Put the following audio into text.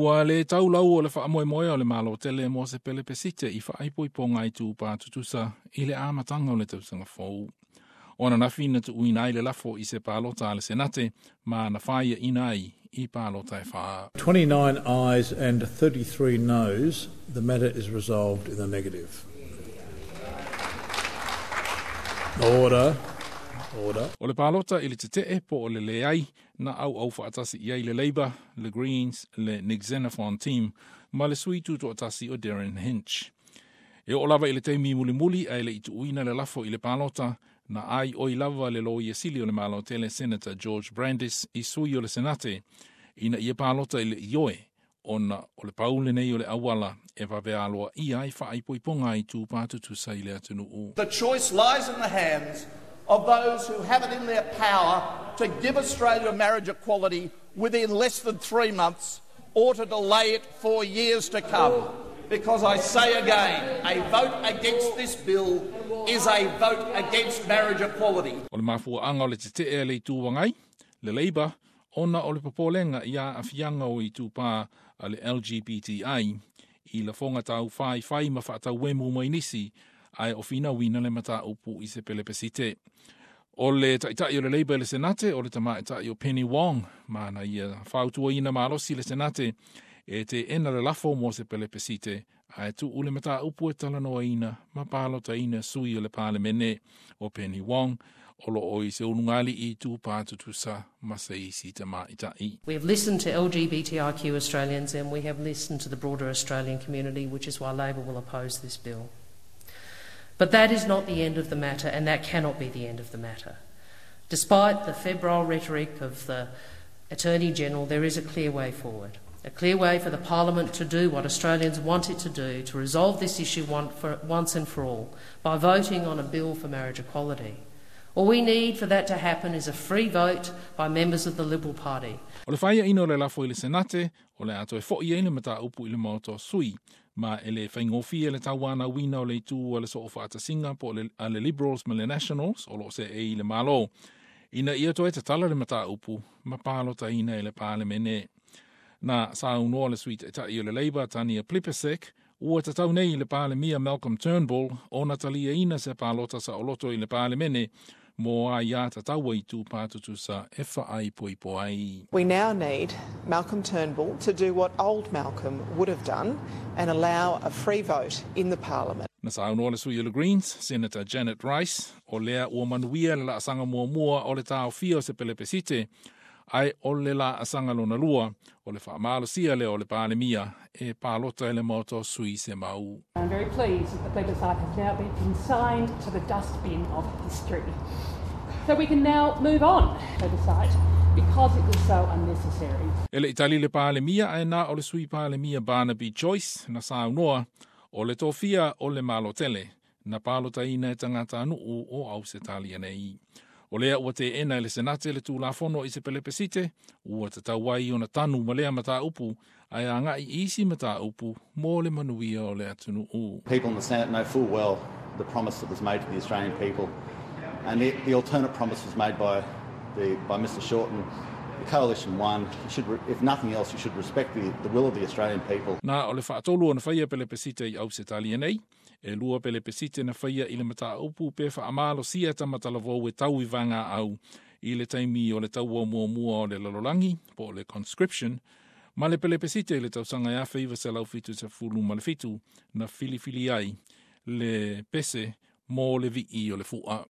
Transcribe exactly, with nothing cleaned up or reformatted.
Ua le taulau o le faamoemoe o le Malo tele mo se pelepesite i faaipoipoga i tupā tutusa i le amataga o le tausaga fou. O ananafi na tuuina ai le lafo i se palota a le Senate ma na faiaina ai i palota e wha. twenty-nine ayes and thirty-three noes. The matter is resolved in the negative. Order. Order. O le palota i le tetee po o le leai na au au whaatasi i ai le Labour, le Greens, le Nick Xenophon team, ma le sui tutoatasi o Derryn Hinch. E o lava i le teimi mulimuli a le ituuina le lafo i le palota, na ai oi lava le loia sili o le malo tele Senator George Brandis i sui o le Senate, ina ia palota i le ioe, ona o le paule nei o le awala e vavealoa ia ai faaipoipoga i tupā tutusa i le atunuu. The choice lies in the hands of those who have it in their power to give Australia marriage equality within less than three months or to delay it for years to come. Because I say again, a vote against this bill is a vote against marriage equality. O le mafuaanga o le tetee le itu wangai, le Labour, ona o le popolenga ia afianga o i tupā a le L G B T I, i la fonga tau whai whai ma whaatau mai nisi, ai o whina wina le mata upu i se pelepesite. O le taitai o le Labour le Senate, o le tamaitai o Penny Wong, mana ia whautua ina malosi le Senate, e te ena le lafo mo se pelepesite, ai tu ule mata upu e talanoa ina, ma palota ina sui o le palemene o Penny Wong, o lo o i se unungali i tupā tutusa ma se isi tamaitai. We have listened to L G B T I Q Australians and we have listened to the broader Australian community, which is why Labor will oppose this bill. But that is not the end of the matter, and that cannot be the end of the matter. Despite the febrile rhetoric of the Attorney General, there is a clear way forward. A clear way for the Parliament to do what Australians want it to do, to resolve this issue one for, once and for all, by voting on a bill for marriage equality. All we need for that to happen is a free vote by members of the Liberal Party. O le whaia ino le lafo i le Senate, o le ato e fo i eina mata upu i le maoto sui, ma ele whaingofia le tauana wina o le itu o le soo whaatasinga po le, a le Liberals ma le Nationals, o lo se e i le malo. Ina ia toe tatala le mata upu, ma pālota ina e le pālemene. Na saunoa le sui taitai o le Labour, Tania Plibersek, ua tatau nei le pālemia Malcolm Turnbull, o natalia ina se pālota sa oloto i le pālemene, mo a ia tataua i tupā tutusa e whaaipoipo ai. We now need Malcolm Turnbull to do what old Malcolm would have done and allow a free vote in the Parliament. Na saunoa le sui o le Greens, Senator Janet Rice, o lea ua manuia le laasanga muamua o le taofia o se pelepesite, ai o le la asanga lona lua, o le whaamalosia le o le pālemia e pālota ele moto sui se mau. I'm very pleased that the plebiscite has now been consigned to the dustbin of history. So we can now move on plebiscite because it was so unnecessary. Ele itali le pālemia ai nā o le sui pālemia Barnaby Joyce na saunoa o le tofia o le malotele na pālota ina e tangata anu'u o au se talia nei. O lea ua te ena le Senate le tūlafono i se pelepesite, ua tatau ai ona tanu ma lea mata upu, ai a ngai isi mata upu mō le manuia o le atunuu. People in the Senate know full well the promise that was made to the Australian people, and the, the alternate promise was made by, the, by Mister Shorten. The coalition won. You should, if nothing else, you should respect the, the will of the Australian people. Na o le whaatolu o na whaia pelepesite i au se talia nei, e lua pelepesite na whaia i le mata upu pe whaamalo sia tamatalavou e tau i vanga au i le taimi o le taua muamua o le lalolangi, po o le conscription, ma le pelepesite i le tausanga ia whaiva se lau fitu se fulu ma le fitu na filifili ai le pese mō le vii o le fua.